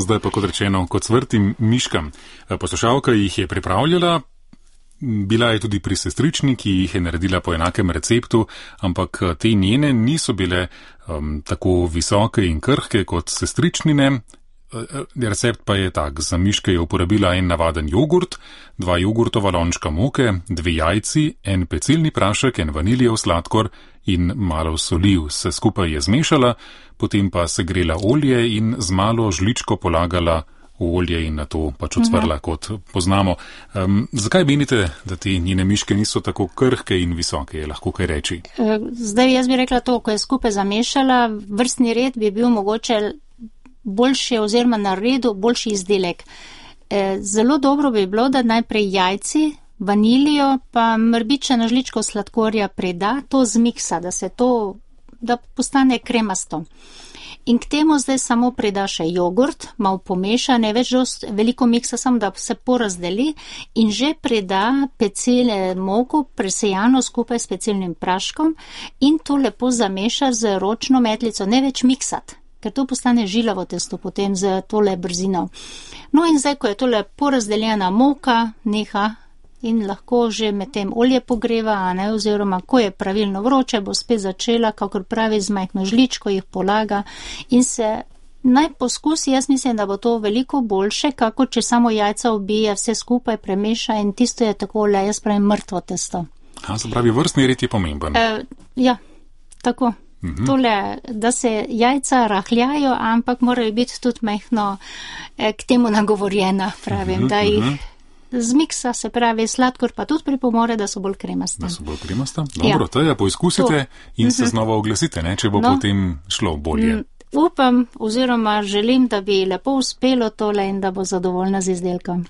Zdaj pa, kot rečeno, kot cvrtim miškam. Poslušalka jih je pripravljala, bila je tudi pri sestrični, ki jih je naredila po enakem receptu, ampak te njene niso bile tako visoke in krhke kot sestričnine. Recept pa je tak, za miške je uporabila en navaden jogurt, 2 jogurtova lončka moke, 2 jajci, en pecilni prašek, en vaniljev sladkor in malo soli. Vse skupaj je zmešala, potem pa segrela olje in z malo žličko polagala v olje in na to pač ocvrla, kot poznamo. Zakaj menite, da te njene miške niso tako krhke in visoke, je lahko kaj reči? Zdaj jaz bi rekla to, ko je skupaj zamešala, vrstni red bi bil mogoče boljši oziroma na redu boljši izdelek. Zelo dobro bi bilo, da najprej jajci, vanilijo pa mrbičeno žličko sladkorja preda, to zmiksa, da postane kremasto. In k temu zdaj samo preda še jogurt, malo pomeša, ne več veliko miksa, samo da se porazdeli in že preda pecilne moko presejano skupaj s pecilnim praškom in to lepo zameša z ročno metlico, ne več miksati, ker to postane žilavo testo potem z tole brzino. No in zdaj, ko je tole porazdeljena moka, neha in lahko že med tem olje pogreva, oziroma ko je pravilno vroče, bo spet začela, kakor pravi, z majhno žličko jih polaga in se naj poskusi, jaz mislim, da bo to veliko boljše, kako če samo jajca ubije, vse skupaj premeša in tisto je takole, jaz pravim, mrtvo testo. Se pravi, vrstni red je pomemben. Ja, tako. Tole, da se jajca rahljajo, ampak morajo biti tudi majhno k temu nagovorjena, pravim, da jih zmiksa, se pravi, sladkor pa tudi pripomore, da so bolj kremaste. Da so bolj kremaste? Dobro, Teja, poizkusite in se znova oglasite, če bo potem šlo bolje. Upam oziroma želim, da bi lepo uspelo tole in da bo zadovoljna z izdelkom.